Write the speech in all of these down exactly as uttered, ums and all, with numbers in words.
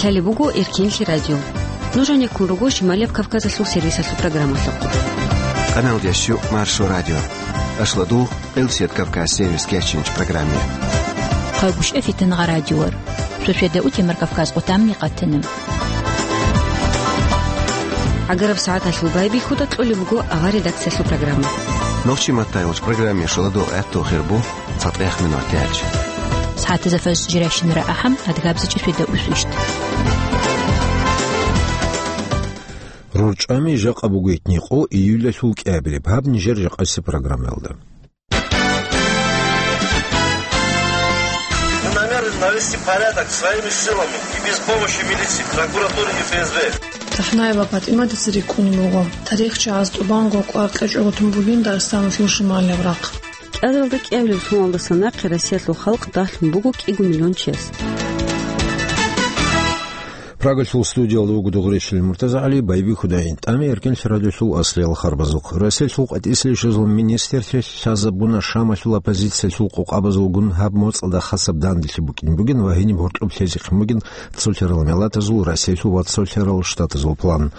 Лъалеб буго Эркенлъи радио. Нуж гьанеккун руго Шималияб Кавказалъул сервисалъул программалъухъ. Канал дясю Маршо радио. Ашладу Элсет Кавказ сервис кечинч программе. Хъагушев Фитнагъа радиор. Шошведа утемар Кавказ къутамни къатана. ГӀагараб сагӀаталъул байбихьуда кьолеб буго авар редакциялъул программа. Нохчи маттайолч программе шаладу гӀатту хирбу. ЦатӀех минут тяч. СагӀатазда фажр жирашинара ахӀам, адгабзачӀи фида усвищт. РорчӀами жакъа бугойтни къо июлалъул кӀиабилеб гьаб нижер жакъаси программаялда. Мы намерены навести порядок своими силами и без помощи милиции, прокуратуры и Ф С Б. Тахнаева ПатӀиматица рикӀкӀунеб буго. ТарихчагӀаз тӀубанго кӀвар кьечӀого тун бугин Дагъистаналъул шималияб рахъ. КӀиабилеб соналдаса нахъе Россиялъул халкъ дагьлъун буго кӀиго миллион чияс. Прагалъул студиялда вуго Дугъречилин МуртазагӀали, байбихьуда гӀинтӀаме Эркенлъи радиолъул аслиял харбазухъ. Россиялъул къватӀислъи ишазул министрлъи лъазабуна Шамалъул оппозициялъул къокъабазулгун гьаб моцӀалда хасаб данделъи букӀин бугин ва гьениб гьоркьоб лъезехъин бугин цолъарал миллатазул, Россиялъул ва цолъарал штатазул план.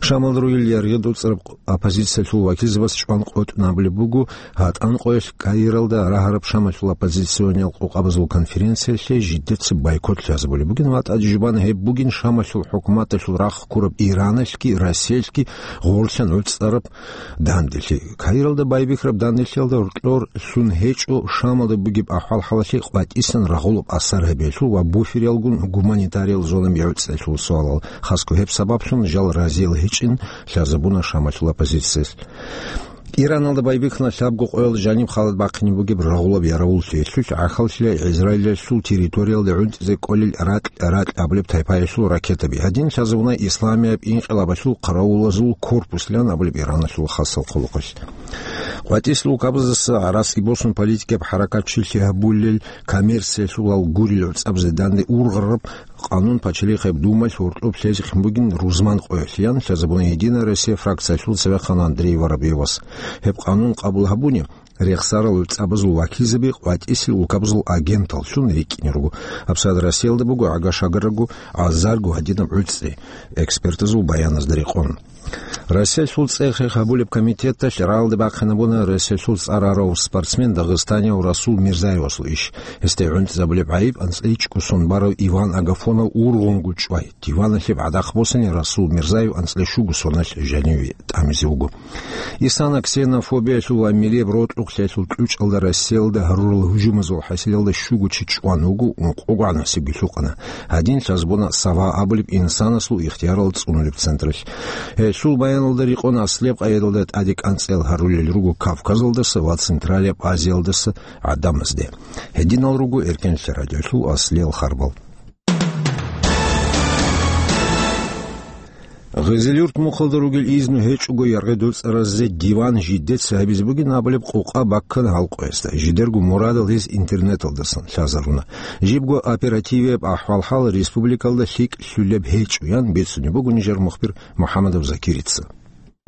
Шамалда ругел яргъи доцӀараб оппозициялъул вакилзабаз чӀван къотӀун абулеб буго, гьатӀан къоялъ Каиралда рагьараб Шамалъул оппозициониял къокъабазул конференциялъе жидеца бойкот лъазабулеб бугин ва тӀадежбан гьеб бугин Шамалъул хӀукуматалъул рахъ ккураб Ираналъги Россиялъги гъорлъан гӀуцӀараб данделъи. Каиралда байбихьараб данделъиялда гьоркьор лъун гьечӀо Шамалда бугеб ахӀвал-хӀалалъе къватӀисан рагъулаб асар гьабиялъул ва буфериялгун гуманитариял зонаб гӀуцӀиялъул суалал. Хасго гьеб сабаблъун жал разиял гьечӀин лъазабуна Шамалъул оппозициялъ. Ираналда байбихьана лъабго къоялда жаниб халад бахъине бугеб рагъулаб яравул лъелъулъ гӀахьаллъила Израилалъул территориялда гӀунтӀизе кӀолел ракь-ракь абулеб тайпаялъул ракетаби. Гьадин лъазабуна исламияб инкъилабалъул хъаравулазул корпуслъан абулеб Ираналъул хасал хъулухъалъ. КъватӀислъи улкабаздаса гӀарац босун политикаб хӀаракат чилъи гьабулел коммерциялъулал гурел гӀуцӀабазе данде ургъараб Къанун пачалихъеб Думалъ гьоркьоб лъезехъин бугин рузман къоялъ, ян лъазабуна «Единая Россия» фракциялъул цевехъан Андрей Воробьевас. Гьеб къанун къабул гьабуни, рехсарал гӀуцӀабазул вакилзаби къватӀислъи улкабазул агенталлъун рикӀкӀине руго. ГьабсагӀат Россиялда буго гӀага-шагарагу азарго гьадинаб гӀуцӀи, экспертазул баяназда рекъон. Россиялъул цӀех-хех гьабулеб комитеталъ рагӀалде бахъинабуна Россиялъул цӀар гьарав спортсмен, дагъистанияв Расул Мирзаевасул иш. Гьесде гӀунтӀизабулеб гӀайиб анцӀила чӀугу сон барав Иван Агафонов ургъунгу чӀвай. Диваналъе гӀадахъ босани Расул Мирзаев анцӀила щугу соналъ жаниве тӀамизе вуго. Исана ксенофобиялъул ва милияб рокьукълъиялъул кьучӀалда Россиялда гьарурал гьужумазул хӀасилалда щугу чи чӀван вуго, ункъогогӀан гьасибги лъукъана. Гьадин лъазабуна «Сава» абулеб инсанасул ихтиярал цӀунулеб централъ. Гьелъул баяналда рекъон аслияб къайдалда тӀаде кӀанцӀел гьарулел руго Кавказалдаса ва Централияб Азиялдаса гӀадамазде. Гьединал руго Эркенлъи радиолъул аслиял харбал. Гъизилюрт мухъалда ругел изну гьечӀого яргъи доцӀаразде диван жидеца гьабизе бугин абулеб къукъа баккана гьал къоязда. Жидерго мурадал гьез интернеталдасан лъазаруна. Жибго оперативияб ахӀвал-хӀал республикалда лъикӀ лъулеб гьечӀо, ян бицунеб буго нижер мухбир МухӀамадов Закирица.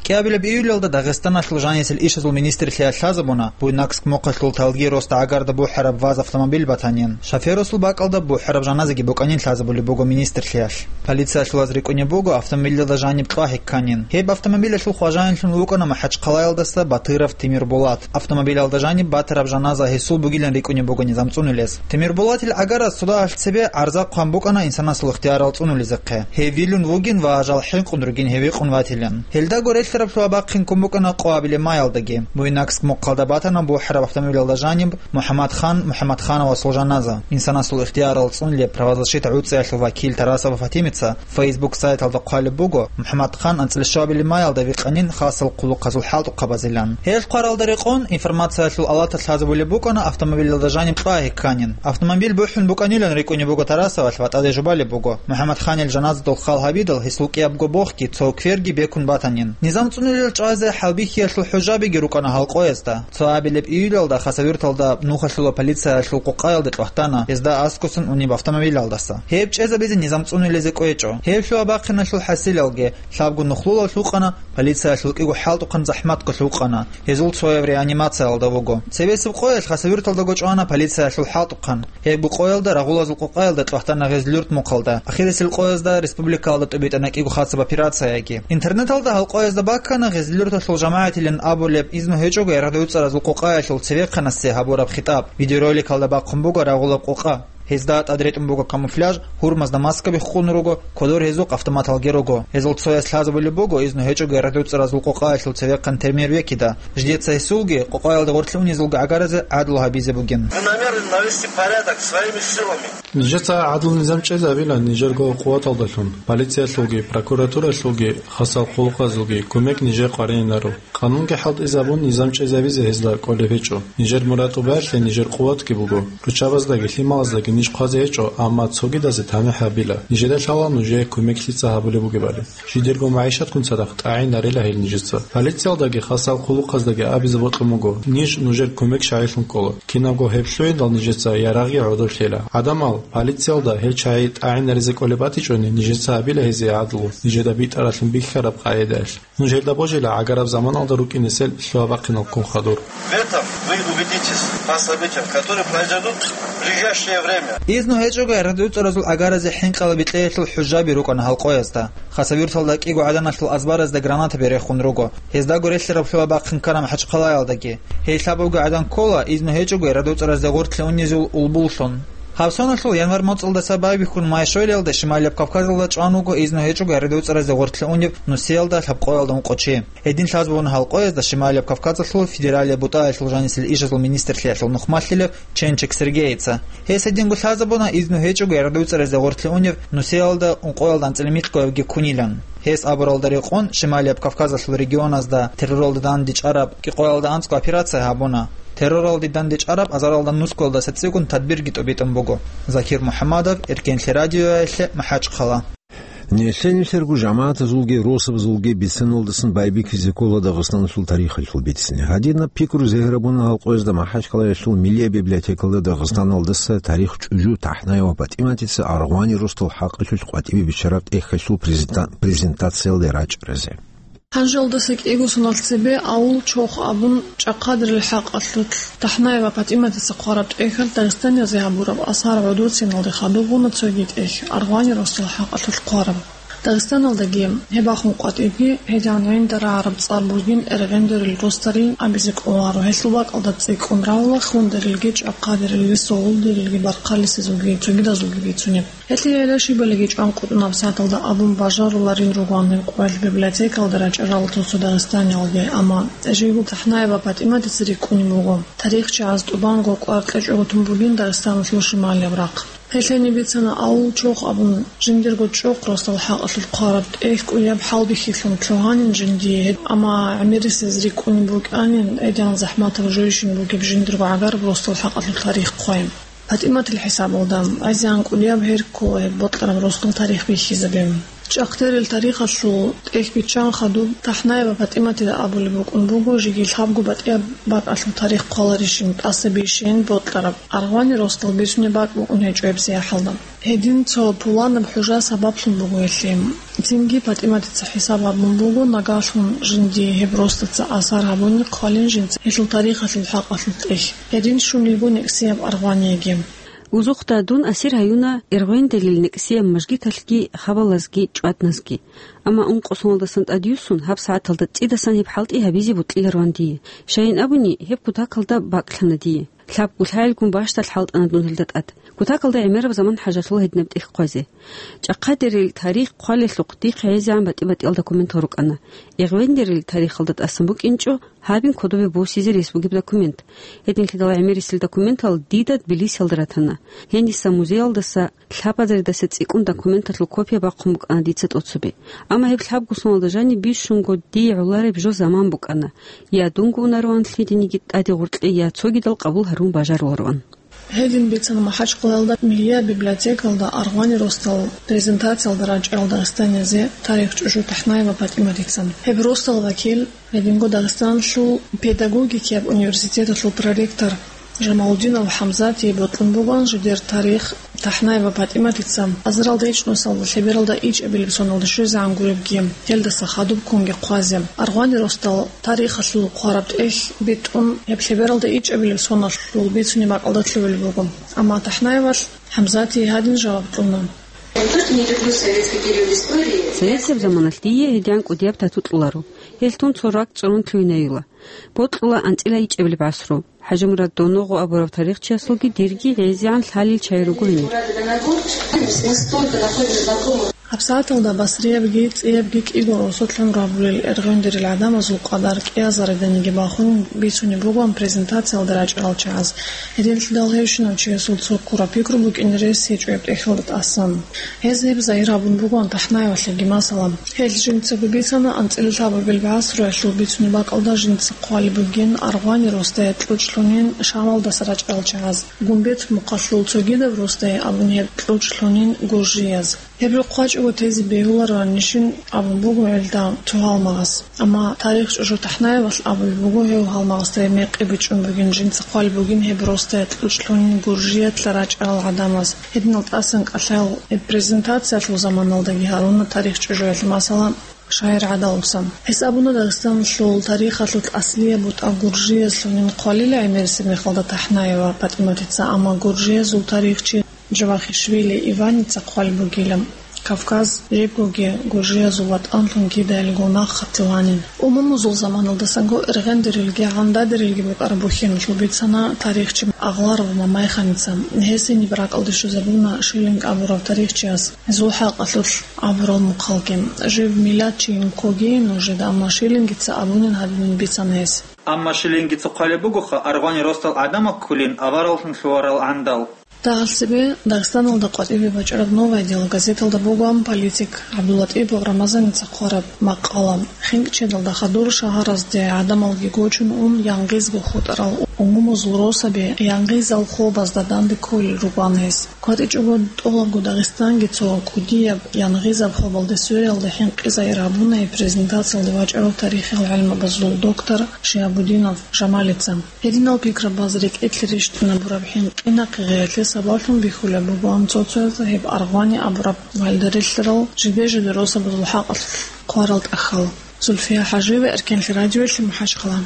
КӀиабилеб июлалда Дагъистаналъул жанисел ишазул министрлъиялъ лъазабуна, Буйнакск мухъалъул Талги-Роста гӀагарда бухӀараб ВАЗ автомобиль батанин. Шоферасул бакӀалда бухӀараб жаназаги букӀанин лъазабулеб буго министрлъиялъ. Полициялъулаз рикӀкӀунеб буго автомобилалда жаниб кьвагьи кканин. Гьеб автомобилалъул хважаинлъун вукӀана МахӀачхъалаялдаса Батыров Тимирбулат. Автомобилалда жаниб батараб жаназа гьесул бугилан рикӀкӀунеб буго низам цӀунулез. Тимирбулатил гӀагарас судалъ цебе гӀарза хъван букӀана инсанасул ихтиярал цӀунулезехъе. Гьев вилун вугин ва жал хӀинкъун ругин гьев гьикъун ватилан. Гьелдаго релълъараблъун бахъин ккун букӀана къо абилеб маялдаги. Буйнакск мухъалда батана бухӀараб автомобилалда жаниб МухӀаммадхан МухӀаммадхановасул жаназа. Инсанасул ихтиярал цӀунулеб правозащита гӀуцӀиялъул вакил Тарасова Фатимица Facebook сайталда хъвалеб буго, МухӀаммадхан анцӀила щуабилеб маялда викъанин хасал хъулухъазул хӀалтӀухъабазилан. Гьел хъваралда рекъон, информациялъул алаталъ лъазабулеб букӀана автомобилалда жаниб кьвагьи кканин. Автомобиль бухӀун букӀанилан рикӀкӀунеб буго Тарасовалъ ва тӀаде жубалеб буго, МухӀаммадханил жаназадул хал гьабидал гьесул кӀиябго бохги, цо кверги бекун батанин. Низам цӀунулел чӀвазе хӀалбихьиялъул хӀужабиги рукӀана гьал къоязда. Цо абилеб июлалда Хасавюрталда нухалъула полициялъул къокъаялде кьвагьтана, гьезда аскӀосан унеб автомобилалдаса. Гьеб чӀезабизе низам цӀунулезе кӀвечӀо. Гьеб лъугьа-бахъиналъул хӀасилалги, лъабго нухлулал гьукъана, полициялъул кӀиго хӀалтӀухъан захӀматго лъукъана. Гьезул цояв реанимациялда вуго. Цебесеб къоялъ Хасавюрталдаго чӀвана полициялъул хӀалтӀухъан. Гьебго къоялда рагъулазул къокъаялда кьвагьтана гьез Люрт мухъалда. Ахирисел къоязда республикаялда тӀубитӀана кӀиго хъацаб операцияги. Интернеталда гьал къоязда баккана гьез Люрталъул жамагӀатилин абулеб изну гьечӀого РГДУ цӀаразул къокъаялъул цевехъанасе гьабураб хитӀаб. Видеороликалда бахъун буго рагъулаб къокъа. Гьезда тӀад ретӀун буго камуфляж, гьурмазда маскаби хъун руго, кодор гьезухъ автоматалги руго. Гьезул цояс лъазабулеб буго изну гьечӀого РГДУ цӀаразул къокъаялъул цевехъан Темирбекида. Жидеца гьесулги, къокъаялда гъорлъи унезулги гӀагаразе гӀадлу гьабизе бугин. Мы намерены навести порядок своими силами. Нижеца гӀадлу-низам чӀезабила нижерго къуваталдалъун, полициялъулги, прокуратуралъулги, хасал хъулухъазулги кумек нижер къваригӀинаро. Къанунги хӀалтӀизабун, низам чӀезабизе гьезда кӀолеб гьечӀо. Нижер мурад тӀубаялъе нижер къуватги буго. Руччабаздаги лъималаздаги ниж хъвазе гьечӀо, амма цогидазе тамихӀ гьабила. Нижеда лъала нужее кумек лъица гьабулеб бугебали. Жидерго магӀишатккун цадахъ тӀагӀинарила гьел нижеца. Полициялдаги хасал хъулухъаздаги абизе бокьун буго, ниж нужер кумек щайилъун ккола. Кинабго гьеб лъугӀиндал нижеца ярагъги гӀодоблъила. ГӀадамал, полициялда гьел чагӀи тӀагӀинаризе кӀолеб батичӀони, нижеца гьабила гьезие гӀадлу, нижеда битӀаралъун бихьараб къагӀидаялъ. Нуж гьелда божила гӀагараб заманалда рукӀинесел лъугьа-бахъиналккун хадур. В этом вы убедитесь по событиям, которые произойдут в ближайшее время. Изну гьечӀого РГДУ цӀаразул гӀагаразе хӀинкъала бикьеялъул хӀужаби рукӀана гьал къоязда. Хасавюрталда кӀиго гӀаданалъул азбаразда гранатаби рехун руго. Гьездаго релълъараб лъугьа-бахъин ккана МахӀачхъалаялдаги. Гьей лъабавги гӀадан ккола, изну гьечӀого РГДУ цӀаразде гъортлъи унезул улбуллъун. Гьаб соналъул январь моцӀалдаса байбихьун Майшойлиялда Шималияб Кавказалда чӀван вуго изну гьечӀого РГДУ цӀаразде гъортлъи унев Нусиялда лъабкъоялда ункъо чи. Гьедин лъазабуна гьал къоязда Шималияб Кавказалъул федералияб бутӀаялъул жанисел ишазул министрлъиялъул нухмалъилев Ченчик Сергеица. Гьес гьединго лъазабуна изну гьечӀого РГДУ цӀаразде гъортлъи унев Нусиялда ункъоялда анцӀила микьгоябги ккунилан. Гьес абуралда рекъон, Шималияб Кавказалъул регионазда терроралде дандечӀараб кӀикъоялда анцӀго операция гьабуна. Терроралде дандечӀараб азаралда нусгоялдаса цӀикӀкӀун тадбирги тӀубитӀун буго. Закир МухӀаммадов, Эркенлъи радиоялъе, МахӀачхъала. Нилъер-нилъерго жамагӀатазулги росабазулги бициналдасан байбихьизе ккола Дагъистаналъул тарихалъул бицине. Гьадинаб пикру зегьрабуна гьал къоязда МахӀачхъалаялъул Миллияб библиотекалда Дагъистаналдаса тарих чӀужу ТахӀнаева ПатӀиматица аргъвани росдал хӀакъалъулъ къватӀибе биччараб тӀехьалъул презента-, презентациялде рачӀаразе. Гьанжелдаса кӀиго соналъ цебе авул Чох абун чӀахъадерил хӀакъалъулъ ТахӀнаева ПатӀиматица хъвараб тӀехьалъ Дагъистаналъе гьабураб асар гӀодоциналде хадуб буна цоги тӀехь, аргъвани росдал хӀакъалъулъ хъвараб. Дагъистаналдаги гьеб бахун къватӀибги гьедин гӀинда рагӀараб цӀар бугин эргъендерил росдал абизе кӀоларо, гьелъул бакӀалда цӀикӀкӀун равла хундерилги, чӀахъадерилги, согъулдерилги, бархъалисезулги, цогидазулги бицунеб. Гьелъие гӀелашибалиги чӀван къотӀунаб сагӀаталда абун бажаруларин ругоан гьеб къоялъ библиотекалда рачӀарал цо-цо дагъистаниялги, амма жиндирго ТахӀнаева ПатӀиматица рикӀкӀунеб буго, тарихчагӀаз тӀубанго кӀвар кьечӀого тун бугин Дагъистаналъул шималияб рахъ. Гьелъ гьениб бицана авул Чох абун жиндирго чӀухъ росдал хӀакъалъулъ хъвараб тӀехь кӀудияб хӀалбихьилъун лъугьанин жиндие гьеб, амма гӀемерисез рикӀкӀунеб букӀанин, гьедин захӀматаб жойищин бугеб жиндирго гӀагараб росдал хӀакъалъулъ тарих хъвайин. ПатӀиматил хӀисабалда, гӀезегӀан кӀудияб гьер ккола гьеб бокьараб росдал тарих бихьизабе. ЧӀахъдерил тарихалъул тӀехь биччан хадуб ТахӀнаева ПатӀиматида абулеб букӀун буго, жеги лъабго батӀияб бакӀалъул тарих хъваларищин, тӀасабищейин бокьараб, аргъвани росдал бицунеб бакӀ букӀун гьечӀо гьебсагӀаталда. Гьедин цо пуланаб хӀужа сабаблъун буго гьелъие. Цинги ПатӀиматица хӀисаб гьабун буго, нагагьлъун жиндие гьеб росдалца асар гьабуни хъвалин жинца гьелъул тарихалъул хӀакъалъулъ тӀехь. Гьедин щун йиго некӀсияб аргъваниеги. Узухъда дун асир гьаюна Эргъвендерил некӀсияб мажгиталъги хабалазги чӀвадназги. Амма ункъо соналдасан тӀадюссун гьаб сагӀаталда цӀидасан гьеб хӀалтӀи гьабизе бокьилароан дие. Щайин абуни, гьеб кутакалда бакӀлъана дие. Лъабго лъагӀелгун бащдалъ хӀалтӀана дун гьелда тӀад. Кутакалда гӀемераб заман хӀажалъула гьединаб тӀехь хъвазе. ЧӀахъадерил тарих хъвалелъухъ дихъе гӀезегӀан батӀи-батӀиялда документал рукӀана. Эргъвендерил тарихалда тӀасан букӀинчӀо гьабин кодобе босизе рес бугеб документ. Гьединлъидал гӀемерисел документал дида Тбилисиялда ратана. Гьениса музеялдаса лъабазаредаса цӀикӀкӀун документалъул копия бахъун букӀана дица тӀоцебе. Амма гьеб лъабго соналда жаниб бищунго дие гӀолареб жо заман букӀана. Я дунго унароан лъидениги тӀаде гъоркье, я цогидал къабул гьарун бажарулароан. Гьедин бицана МахӀачхъалаялда Миллият библиотекалда аргъвани росдал презентациялда рачӀарал дагъистаниязе тарих чӀужу ТахӀнаева ПатӀиматица. Гьеб росдал вакил, гьединго Дагъистаналъул педагогикияб университеталъул проректор Жамалудинов ХӀамзатие бокьун бугоан жидер тарих. ТахӀнаева ПатӀиматица азаралда ичӀнусалда лъебералда ичӀабилеб соналда щвезегӀан гуребги, гьелдаса хадуб ккунги хъвазе, аргъвани росдал тарихалъул хъвараб тӀехь битӀун, гьеб лъебералда ичӀабилеб соналъул бицунеб бакӀалда лъугӀулеб буго. Амма ТахӀнаевалъ ХӀамзатие гьадин жаваб кьуна: Советский период истории. Советияб заманалъ дие гьедигӀан кӀудияб тату кьоларо. Гьелъ тун цо ракӀ цӀурун лъугьинаюла. Бокьула анцӀила ичӀабилеб гӀасру. ХӀажимурад Доногъо абурав тарихчиясулги дирги гӀезегӀан лъалел чагӀи руго гьенир. ГьабсагӀаталда басриябги цӀиябги кӀиго росулъ гӀумру гьабулел эргъендерил гӀадамазул къадар кӀиазариданиги бахун бицунеб бугоан презентациялда рачӀарал чагӀаз. Гьединлъидал гьевщинав чиясул цо ккураб пикру букӀине рес гьечӀо гьеб тӀехьалда тӀасан. Гьез гьеб загьир гьабун бугоан ТахӀнаевалъеги, масала. Гьел жинцаго бицана анцӀила лъабабил гӀасруялъул бицунеб бакӀалда жинца хъвалеб бугин аргъвани росдае кьучӀ лъунин Шамалдаса рачӀарал чагӀаз, Гумбет мухъалъул цогидаб росдае абун гьеб кьучӀ лъунин гуржияз. Гьеб рохъ вачӀого тезе бегьулароанищин абун буго гьелда цо гьалмагъас. Амма тарих чӀужу ТахӀнаевалъ абулеб буго гьев гьалмагъасда гьеб мекъи бичӀчӀун бугин, жинца хъвалеб бугин гьеб росдае кьучӀ лъунин гуржиялъа рачӀарал гӀадамаз. Гьединал тӀасан кӀалъал гьеб презентациялъул заманалдаги гьаруна тарих чӀужуялъ, масала, шагьир гӀадалуца. Гьес абуна Дагъистаналъул тарихалъулъ аслияб бутӀа гуржиязлъунин хъвалила гӀемерисеб мехалда ТахӀнаева ПатӀиматица, амма гуржиязул тарихчи Джавахишвили Иваница хъвалеб бугила, Кавказ жибгоги гуржиязул ватӀанлъун кидаялго нахъа тиланин. Умумузул заманалдасанго эргъендерилги гӀандадерилги букӀараб бухьиналъул бицана тарихчи Агъларова Мамайханица. Гьесие гьеб ракӀалде щвезабуна Шиллинг абурав тарихчияс гьезул хӀакъалъулъ абурал мухъалги. Жив миллатчийин ккогейин нужеда, амма Шиллингица абунин гьадинин бицана гьес. Амма Шиллингица хъвалеб бугоха, аргъвани росдал гӀадамал кколин авараллъун лъугьарал гӀандал. Дагьалсебе Дагъистаналда къватӀибе бачӀараб «Новое дело» газеталда бугоан политик ГӀабдуллатӀипов Рамазаница хъвараб макъала. ХинкӀчедалда хадур шагьаразде гӀадамалги гочун ун, янгъизго хутӀарал умумузул росаби янгъизал хобазда данде кколел ругоан гьес. КватӀичӀого тӀолабго Дагъистанги цо кӀудияб янгъизаб хобалде свериялда хӀинкъи загьир гьабуна гьеб презентациялде вачӀарав тарихиял гӀелмабазул доктор Шиабудинов Жамалица. Гьединал пикрабаз рекӀелъе рещтӀинабураб хӀинкъи-нахъе гъиялъе сабаблъун бихьулеб бугоан цо-цояз гьеб аргъвани абураб валдерелъарал жиде-жиде росабазул хӀакъалъулъ хъварал тӀахьал. Зульфия ХӀажиева, Эркенлъи радиоялъе, МахӀачхъала.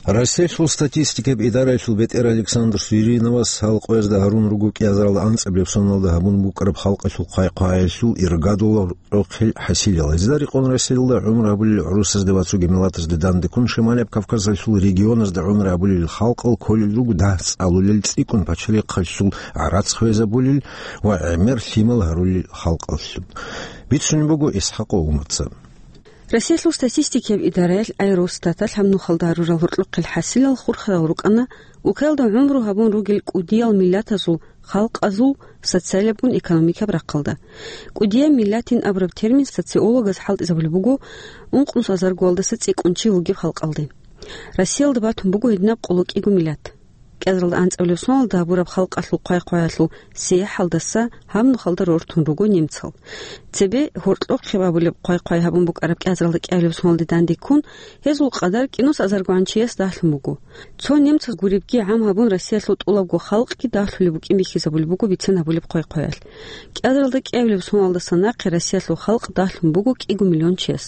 Россиялъул статистикаб идараялъул бетӀер Александр Суриновас халкъ гьезда гьарун руго кӀиазарал анцӀабилеб соналда гьабун букӀараб халкъалъул хъвай-хъваялъул иргадул рокьухъел хӀасилал. Гьезда рекъон Россиялда гӀумру гьабулел гӀурусазде ва цоги миллатазде дандеккун Шималияб Кавказалъул регионазда гӀумру гьабулел халкъал кколел руго дагь цӀалулел, цӀикӀкӀун пачалихъалъул гӀарац хвезабулел ва гӀемер лъимал гьарулел халкъалъул. Бицунеб буго ИсхӀакъов Умарца. Россиялъул статистикаяб идараялъ, ай, Росстаталъ гьаб нухалда гьарурал гьоркьохъел хӀасилал хурхарал рукӀана, укаялда гӀумру гьабун ругел кӀудиял миллатазул халкъазул социалиябгун экономикаб рахъалда. КӀудияб миллатин абураб термин социологаз хӀалтӀизабулеб буго ункънус азаргоялдаса цӀикӀкӀун чи вугеб халкъалде. Россиялда батун буго гьединаб къоло кӀиго миллат. КӀиазаралда анцӀабилеб соналда гьабураб халкъалъул хъвай-хъваялъул сияхӀалдаса гьаб нухалда рортун руго немцал. Цебе гьоркьохъеб абулеб хъвай-хъвай гьабун букӀараб кӀиазаралда кӀиабилеб соналде дандеккун, гьезул къадар кӀинус азаргогӀан чияс дагьлъун буго. Цо немцаз гуребги гӀам гьабун, Россиялъул тӀолабго халкъги дагьлъулеб букӀин бихьизабулеб буго бицен гьабулеб хъвай-хъваялъ. КӀиазаралда кӀиабилеб соналдаса нахъе Россиялъул халкъ дагьлъун буго кӀиго миллион чияс.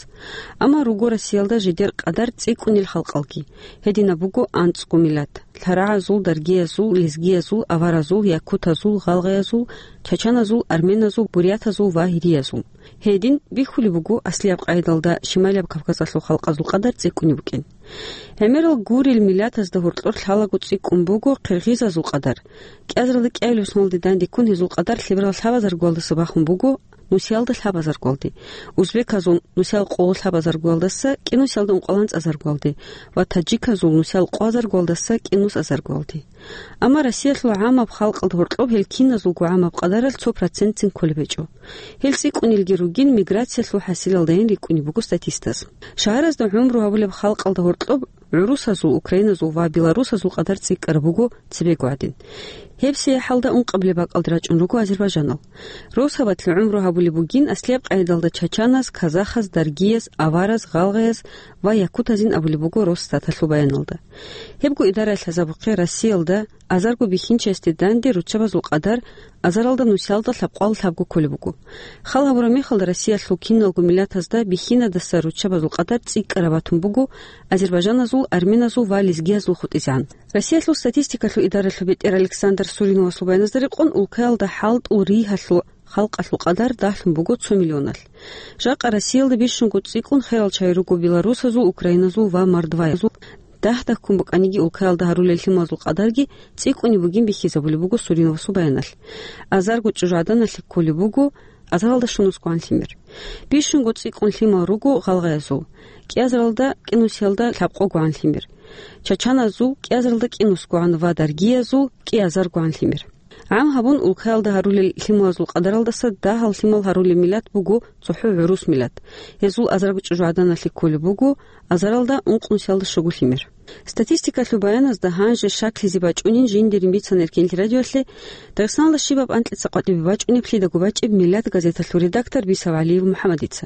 Амма руго Россиялда жидер къадар цӀикӀкӀунел халкъалги. Гьединаб буго анцӀго миллат: лъарагӀазул, даргиязул, лезгиязул, аваразул, якутазул, гъалгъаязул, чачаназул, арменазул, бурятазул ва гьириязул. Гьедин бихьулеб буго аслияб къайдалда Шималияб Кавказалъул халкъазул къадар цӀикӀкӀунеб букӀин. ГӀемерал гурел миллатазда гьоркьор лъалаго цӀикӀкӀун буго къиргъизазул къадар. КӀиазаралда кӀиабилеб соналде дандеккун гьезул къадар лъеберал лъабазаргоялдаса бахун буго нусиялда лъабазаргоялде, узбеказул нусиял къоло лъабазаргоялдаса кӀинусиялда ункъоялда анцӀазаргоялде ва таджиказул нусиял къоазаргоялдаса кӀинусазаргоялде. Амма Россиялъул гӀамаб халкъалда гьоркьоб гьел киназулго гӀамаб къадаралъ цо процентцин кколеб гьечӀо. Гьел цӀикӀкӀунелги ругин миграциялъул хӀасилалдайин рикӀкӀунеб буго статистаз. Шагьаразда гӀумру гьабулеб халкъалда гьоркьоб гӀурусазул, украиназул ва белорусазул къадар цӀикӀкӀараб буго цебего гӀадин. Гьебсие хӀалда ункъабилеб бакӀалде рачӀун руго азербайжанал. Росабалъ гӀумру гьабулеб бугин аслияб къагӀидалда чачаназ, казахаз, даргияз, авараз, гъалгъаяз ва якутазин абулеб буго Росстаталъул баяналда. Гьебго идараялъ лъазабухъе Россиялда азарго бихьинчиясде данде руччабазул къадар азаралда нусиялда лъабкъоялда лъабго кколеб буго. Хал гьабураб мехалда Россиялъул киналго миллатазда бихьинадаса руччабазул къадар цӀикӀкӀараб батун буго азербайжаназул, арменазул ва лезгиязул хутӀизегӀан. Россиялъул статистикалъул идаралъул бетӀер Александр Суриновасул баяназда рекъон, улкаялда хӀалтӀул ригьалъул халкъалъул къадар дагьлъун буго цо миллионалъ. Жакъа Россиялда бищунго цӀикӀкӀун херал чагӀи руго белорусазул, украиназул ва мордваязул. Дагь-дагьккун букӀаниги, улкаялда гьарулел лъималазул къадарги цӀикӀкӀунеб бугин бихьизабулеб буго Суриновасул баяналъ. Азарго чӀужугӀаданалъе кколеб буго азаралда щунусгогӀан лъимер. Бищунго цӀикӀкӀун лъимал руго гъалгъаязул, кӀиазаралда кӀинусиялда лъабкъогогӀан лъимер, чачаназул кӀиазаралда кӀинусгогӀан ва даргиязул кӀиазаргогӀан лъимер. ГӀам гьабун, улкаялда гьарулел лъималазул къадаралдаса дагьал лъимал гьарулеб миллат буго цохӀо гӀурус миллат. Гьезул азарго чӀужугӀаданалъе кколеб буго азаралда ункънусиялда щуго лъимер. Статистикалъул баяназда гьанже щаклъизе бачӀунин жиндирин бицана Эркенлъи радиоялъе, Дагъистаналда щибаб анкьица къватӀибе бачӀунеб лъидаго бачӀеб «Миллат» газеталъул редактор Бисав ГӀалиев МухӀамадица.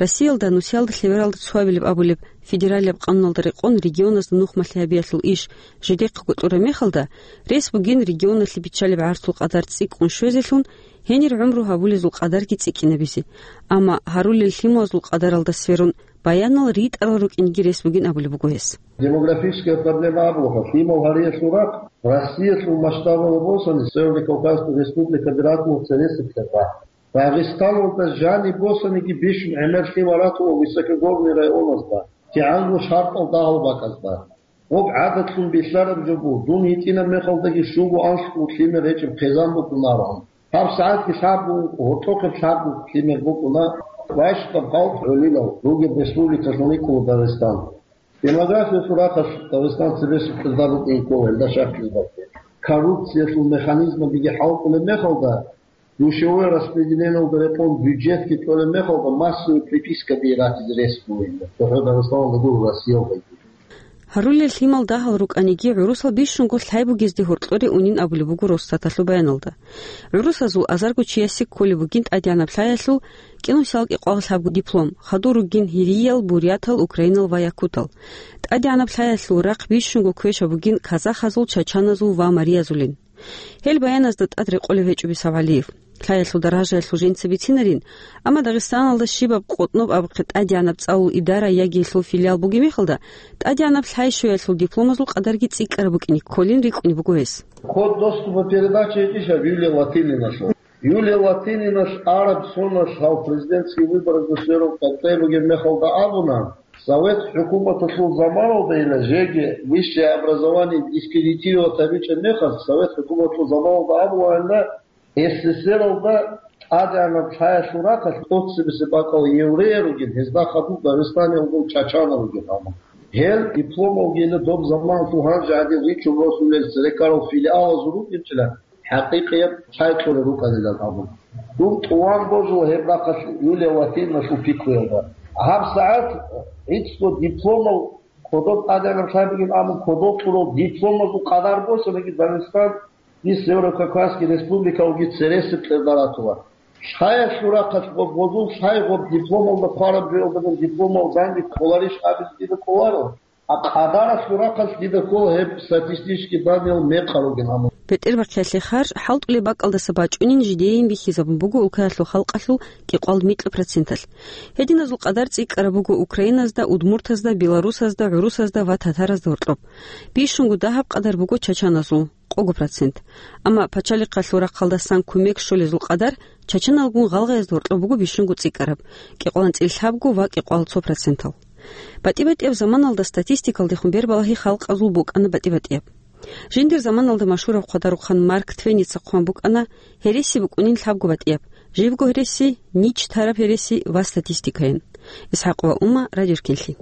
Россиялда нусиялда лъебералда цоабилеб абулеб федералияб къануналда рекъон регионазда нухмалъи гьабиялъул иш жидехъего кьураб мехалда, рес бугин регионалъе биччалеб гӀарцул къадар цӀикӀкӀун щвезелъун, гьенир гӀумру гьабулезул къадарги цӀикӀкӀинабизе. Амма гьарулел лъималазул къадаралда сверун баянал ритӀарал рукӀинги рес бугин абулеб буго гьес. Демографическая проблема абулаха, лъимал гьариялъул рахъ Россиялъул масштабалда босани Северный Кавказская республика биракулаца ресиблъа. Дагъистаналда жаниб босаниги бищун гӀемер лъимал ратула высокогорный районазда, кигӀанго шартӀал дагьал бакӀазда. Гъоб гӀадатлъун бихьараб жо буго, дун гьитӀинаб мехалдаги щуго-анлъго лъимер гьечӀеб хъизан букӀунароан. ГьабсагӀатги лъабго, гьоркьохъеб лъабго лъимер букӀуна, ващдаб халкъ гӀолилал ругеб республикалъун йикӀула Дагъистан. Демографиялъул рахъалъ Дагъистан цебесеб кьирда букӀин ккола гьелда щаклъиялда. Коррупциялъул механизмабиги хӀалтӀулеб мехалда, душевое распределениялда рекъон бюджетги кьолеб мехалда, массовый припискаби ратизе рес бугин. ЦохӀо Дагъистаналда гуро, Россиялдаги. Гьарулел лъимал дагьал рукӀаниги, гӀурусал бищунго лъай бугезде гьоркьоре унин абулеб буго Росстаталъул баяналда. ГӀурусазул азарго чиясе кколеб бугин тӀадегӀанаб лъаялъул кӀинусиялда кӀикъоялда лъабго диплом, хадур ругин гьириял, бурятал, украинал ва якутал. ТӀадегӀанаб лъаялъул рахъ бищунго квешаб бугин казахазул, чачаназул ва мариязулин. Гьел баяназда тӀад рекъолеб гьечӀо Бисав ГӀалиев. Лъаялъул даражаялъул жинца бицинарин, амма Дагъистаналда щибаб къотӀноб абухъе тӀадегӀанаб цӀалул идара яги гьелъул филиал бугеб мехалда, тӀадегӀанаб лъай щвеялъул дипломазул къадарги цӀикӀкӀараб букӀине кколин рикӀкӀунеб буго гьес. Код доступа передачи гьечӀищ гьаб Юлия Латининалъул? Юлия Латининалъ араб соналъ гьав президентский выборазда сверун къеркьей бугеб мехалда абуна, Совет хӀукуматалъул заманалда, ила жеги высшее образование дискредитировать гьабичӀеб мехалъ, Совет хӀукуматалъул заманалда абулаанила, СССРалда тӀадегӀанаб лъаялъул рахъалъ тӀоцебесеб бакӀал евреяр ругин, гьезда хадуб Дагъистаниялда чачанал ругин гьабун. Гьел дипломалги ила доб заманалъул гьанже гӀадин ричун росулел церекарал филиалазул рукӀинчӀила, хӀакъикъияб лъай кьолел рукӀанилан абун. Дун тӀуван божула гьеб рахъалъ Юлия Латининалъул пикруялда. ГьабсагӀат гӀицӀго дипломал кодоб тӀадегӀанаб лъай бугин абун, кодоб кьурал дипломазул къадар босаниги Дагъистан и Северо-Кавказский республикалги цересеб кьерда ратула. Лъаялъул рахъалъ гъоб гъозул лъай гъоб дипломалда хъвараб жоялдабун дипломал занги кколарищ абизе дида кӀоларо. А къадаралъул рахъалъ дида ккола гьеб статистический данныял мекъал ругин гьамун. БетӀербахъиялъе харж хӀалтӀулеб бакӀалдаса бачӀунин жидейин бихьизабун буго улкаялъул халкъалъул кӀикъоялда микьа проценталъ. Гьединазул къадар цӀикӀкӀараб буго украиназда, удмуртазда, белорусазда, гӀурусазда ва татаразда гьоркьоб. Бищунго дагьаб къадар буго чачаназул, къого процент. Амма пачалихъалъул рахъалдасан кумек щолезул къадар чачаналгун гъалгъаязда гьоркьоб буго бищунго цӀикӀкӀараб, кӀикъоялда цӀилъабго ва кӀикъоялда цо процентал. БатӀи-батӀияб заманалда статистикалдехун бербалагьи халкъазул букӀана батӀи-батӀияб. Жиндир заманалда машгьурав хъвадарухъан Марк Твеница хъван букӀана: «Гьереси букӀунин лъабго батӀияб, живго гьереси, нич тараб гьереси ва статистикаян». ИсхӀакъова Ума, Радио Эркенлъи.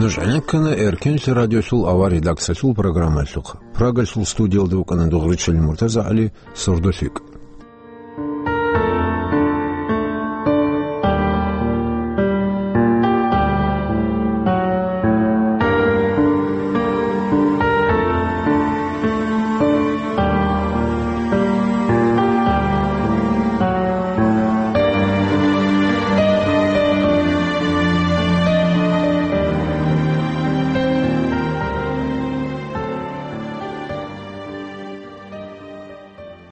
Нуж гӀенеккана Эркенлъи радиосул авар редакциялъул программаялъухъ. Прагалъул студиялда вукӀана Дугъричалил МуртазагӀали, СордолъикӀ.